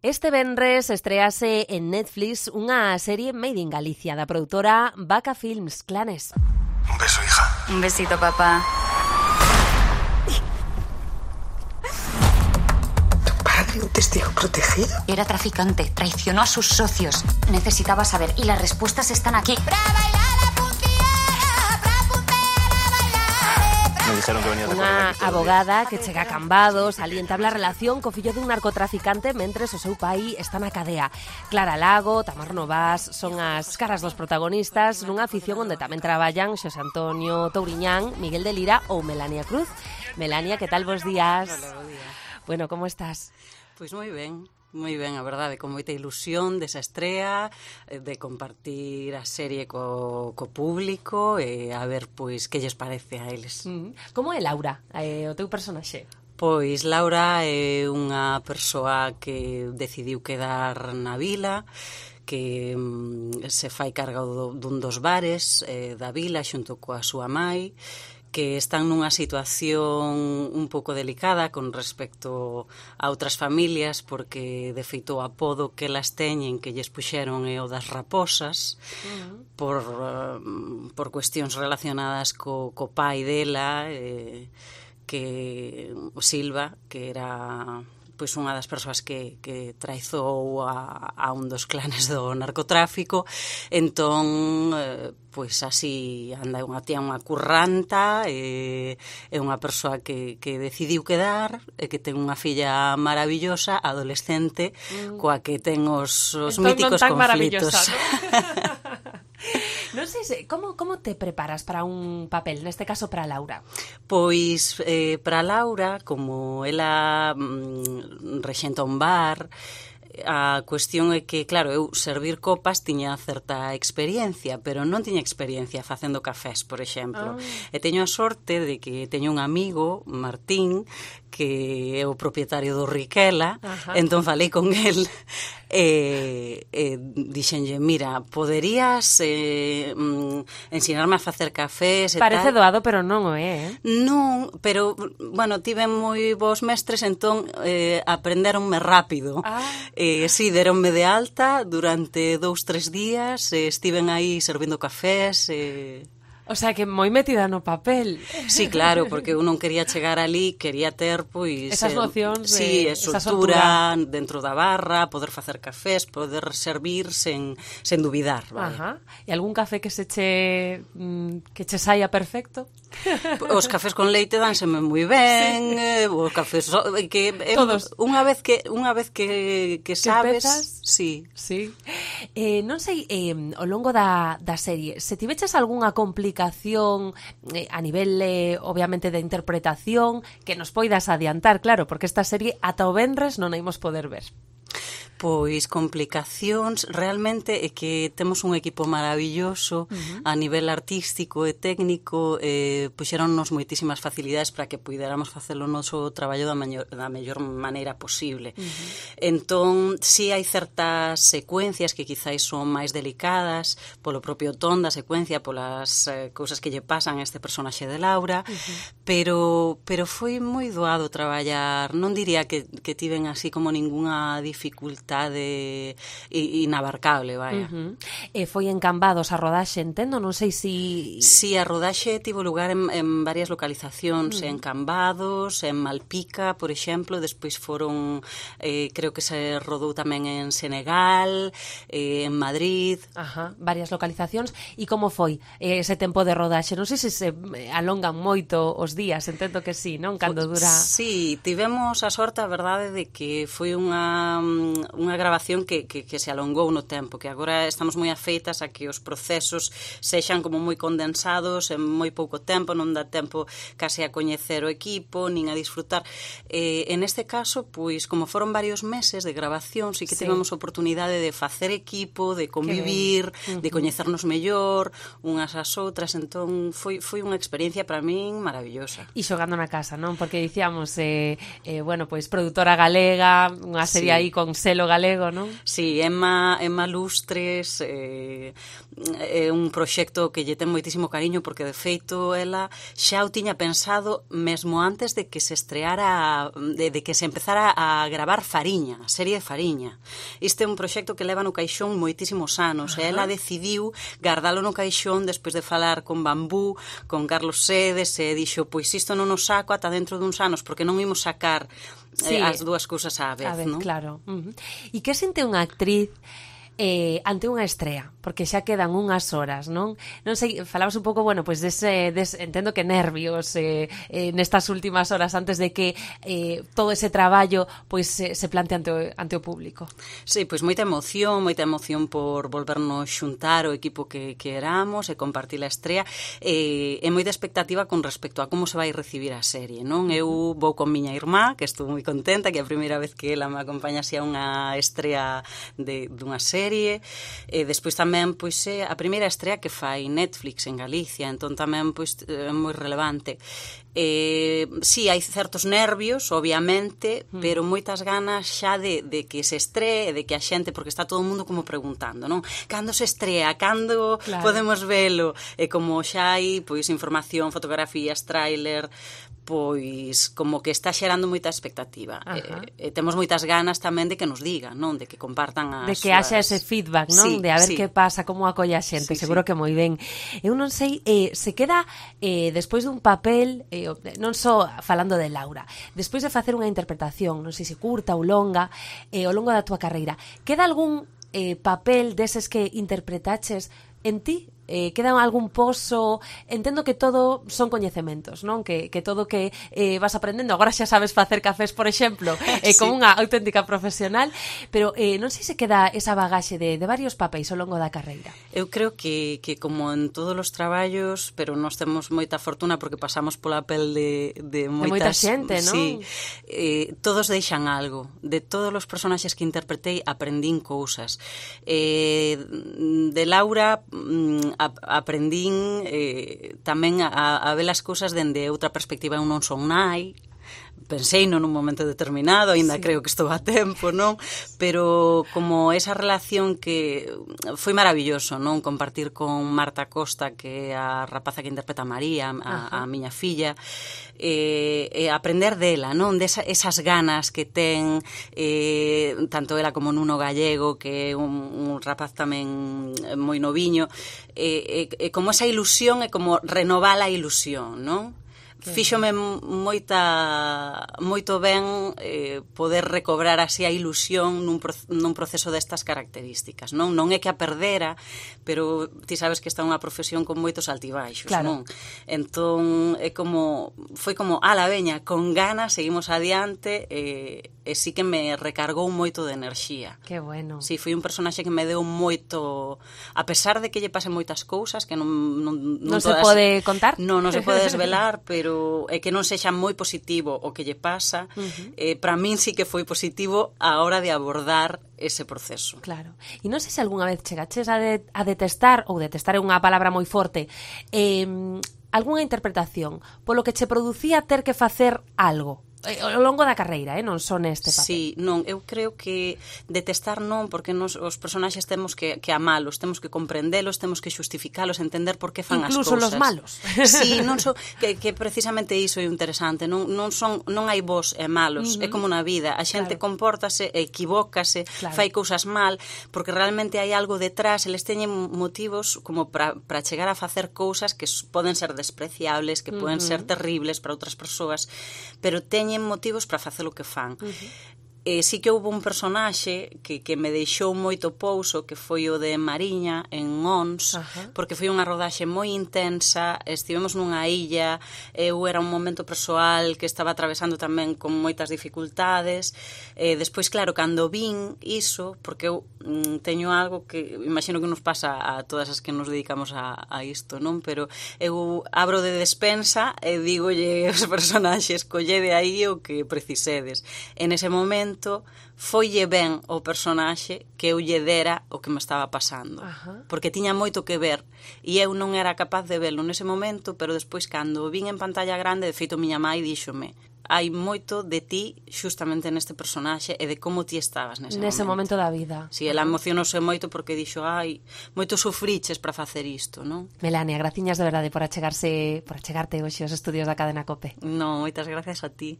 Este venres estrease en Netflix unha serie made in Galicia da produtora Vaca Films, Clanes. Un beso, hija. Un besito, papá. ¿Tu padre, un testigo protegido? Era traficante, traicionó a sus socios. Necesitaba saber y las respuestas están aquí. Me dijeron que venía de Unha abogada que chega a Cambados ali entabla relación co fillo dun narcotraficante mentres o seu pai está na cadea. Clara Lago, Tamar Novas son as caras dos protagonistas nunha ficción onde tamén traballan Xosé Antonio Touriñán, Miguel de Lira ou Melania Cruz. Melania, que tal, bos días? Hola, bo día. Bueno, como estás? Pois moi ben, a verdade, con moita ilusión desa estrea, de compartir a serie co público e a ver, pois, que lles parece a eles. Como é Laura, o teu personaxe? Pois Laura é unha persoa que decidiu quedar na vila, que se fai carga dun dos bares da vila xunto coa súa mai, que están nunha situación un pouco delicada con respecto a outras familias, porque de feito o apodo que elas teñen que lles puxeron é o das raposas, por cuestións relacionadas co pai dela, que o Silva, que era pois unha das persoas que traizou a un dos clanes do narcotráfico. Entón, pois así anda unha tía, unha curranta, é unha persoa que decidiu quedar, e que ten unha filla maravillosa, adolescente, coa que ten os míticos conflitos. Non sei, como te preparas para un papel, neste caso para Laura? Pois para Laura, como ela rexenta un bar, a cuestión é que, claro, eu servir copas tiña certa experiencia, pero non tiña experiencia facendo cafés, por exemplo. E teño a sorte de que teño un amigo, Martín, que é o propietario do Riquela. Entón falei con el e dixenlle, mira, poderías ensinarme a facer cafés e Parece tal. doado, pero non o é, Non, pero, bueno, tiven moi bons mestres, entón aprenderonme rápido. Sí, deronme de alta durante 2-3 días, estiven aí servindo cafés. O sea, que moi metida no papel. Sí, claro, porque eu non quería chegar ali, quería ter, pois... Esas nocións sí, soltura dentro da barra, poder facer cafés, poder servir sen dubidar. Vale? E algún café que che saia perfecto? Os cafés con leite dánseme moi ben, os cafés que todos. Unha vez que sabes, sí. Non sei, ao longo da serie, se tiveches algunha complicación a nivel, obviamente, de interpretación, que nos poidas adiantar, claro, porque esta serie ata o venres non a imos poder ver. Pois complicacións, realmente é que temos un equipo maravilloso a nivel artístico e técnico, puxeronnos moitísimas facilidades para que puidéramos facer o noso traballo da mellor maneira posible. Entón, si hai certas secuencias que quizáis son máis delicadas polo propio ton da secuencia, polas cousas que lle pasan a este personaxe de Laura, pero foi moi doado traballar. Non diría que tiven así como ningunha dificultade inabarcable, vaya. Foi en Cambados a rodaxe, entendo, non sei si... Sí, a rodaxe tivo lugar en varias localizacións, en Cambados, en Malpica, por exemplo, despois foron, creo que se rodou tamén en Senegal, en Madrid... varias localizacións. E como foi ese tempo de rodaxe? Non sei se alongan moito os días, entendo que sí, non? Cando dura... Sí, tivemos a sorte, a verdade, de que foi unha grabación que se alongou no tempo, que agora estamos moi afeitas a que os procesos sexan como moi condensados en moi pouco tempo, non dá tempo case a coñecer o equipo, nin a disfrutar. En este caso, pois, como foron varios meses de grabación, sí que tivemos oportunidade de facer equipo, de convivir, de coñecernos mellor, unhas ás outras, entón foi unha experiencia para min maravillosa. E xogando na casa, non? Porque dicíamos, bueno, pois produtora galega, unha serie aí con selo galego, non? Sí, Emma Lustres é un proxecto que lle ten moitísimo cariño porque de feito ela xa o tiña pensado mesmo antes de que se estreara, de que se empezara a gravar Fariña, a serie de Fariña. Este é un proxecto que leva no caixón moitísimos anos e ela decidiu guardalo no caixón despois de falar con Bambú, con Carlos Sedes e dixo, pois isto non o saco ata dentro duns anos porque non imos sacar as dúas cousas á vez, non? Claro. E que sente unha actriz ante unha estrea, porque xa quedan unhas horas, non? Non sei, falabas un pouco, bueno, pois entendo que nervios nestas últimas horas antes de que todo ese traballo pois se plante ante o público. Sí, pois moita emoción por volvernos xuntar o equipo que éramos e compartir a estrea e moita expectativa con respecto a como se vai recibir a serie, non? Eu vou con miña irmá, que estou moi contenta, que é a primeira vez que ela me acompaña así a unha estrea dunha serie. Despois tamén pois é a primeira estrea que fai Netflix en Galicia, entón tamén pois é moi relevante. Sí, hai certos nervios, obviamente, pero moitas ganas xa de que se estree, de que a xente, porque está todo o mundo como preguntando, non? Cando se estrea, cando podemos velo? E como xa hai pois información, fotografías, tráiler, pois como que está xerando moita expectativa. Temos moitas ganas tamén de que nos digan, non? De que compartan as... De que haxa ese feedback, non? Sí, de a ver que pasa, como acolle a xente, seguro que moi ben. Eu non sei, se queda despois dun papel, non só falando de Laura, despois de facer unha interpretación, non sei se curta ou longa, ao longo da túa carreira, queda algún papel deses que interpretaches en ti? Queda algún pozo? Entendo que todo son coñecementos, non? Que todo que vas aprendendo, agora xa sabes facer cafés, por exemplo, como unha auténtica profesional, pero non sei se queda esa bagaxe de varios papéis ao longo da carreira. Eu creo que como en todos os traballos, pero nós temos moita fortuna porque pasamos pola pel de moita xente, non? Sí, todos deixan algo. De todos os personaxes que interpretei aprendín cousas. De Laura aprendín tamén a ver as cousas dende outra perspectiva. Eu non son nai, pensei nun momento determinado, aínda creo que estou a tempo, non? Pero como esa relación que foi maravilloso, non? Compartir con Marta Costa, que é a rapaza que interpreta a María, a miña filla, aprender dela, non? Esas ganas que ten tanto ela como Nuno Gallego, que é un rapaz tamén moi noviño, como esa ilusión e como renovar a ilusión, non? Fíxome moito ben poder recobrar así a ilusión nun proceso destas características, non? Non é que a perdera, pero ti sabes que esta é unha profesión con moitos altibaixos, non? Entón foi como, ala veña, con ganas seguimos adiante, e sí que me recargou moito de enerxía. Que bueno. Sí, foi un personaxe que me deu moito, a pesar de que lle pasen moitas cousas que non se pode contar? Non se pode desvelar, pero é que non sexa moi positivo o que lle pasa, para min sí que foi positivo a hora de abordar ese proceso. Claro. E non sei se algunha vez chegaches a detestar, ou detestar é unha palabra moi forte, algunha interpretación polo que che producía ter que facer algo ao longo da carreira, non só neste papel. Sí, non, eu creo que detestar non, porque os personaxes temos que amalos, temos que comprendelos, temos que xustificalos, entender por que fan as cousas. Incluso los malos. Sí, non son, que precisamente iso é interesante, non hai bos e malos, é como na vida, a xente compórtase, equivócase, fai cousas mal, porque realmente hai algo detrás, eles teñen motivos como para chegar a facer cousas que poden ser despreciables, que poden ser terribles para outras persoas, pero teñen motivos para facer o que fan. Sí que houve un personaxe que me deixou moito pouso, que foi o de Mariña en Ons, porque foi unha rodaxe moi intensa, estivemos nunha illa, eu era un momento persoal que estaba atravesando tamén con moitas dificultades, despois claro, cando vin iso, porque eu teño algo que imagino que nos pasa a todas as que nos dedicamos a isto, non? Pero eu abro de despensa e digolle aos personaxes, collede aí o que precisedes. En ese momento foille ben o personaxe que eu lle dera o que me estaba pasando, porque tiña moito que ver e eu non era capaz de verlo nese momento, pero despois cando vin en pantalla grande, de feito miña mãe díxome, hai moito de ti xustamente neste personaxe e de como ti estabas nese momento da vida. Si, ela emocionouse moito porque dixo, moito sufriches para facer isto, non? Melania, graciñas de verdade por achegarte hoxe aos estudios da Cadena COPE. Non, moitas gracias a ti.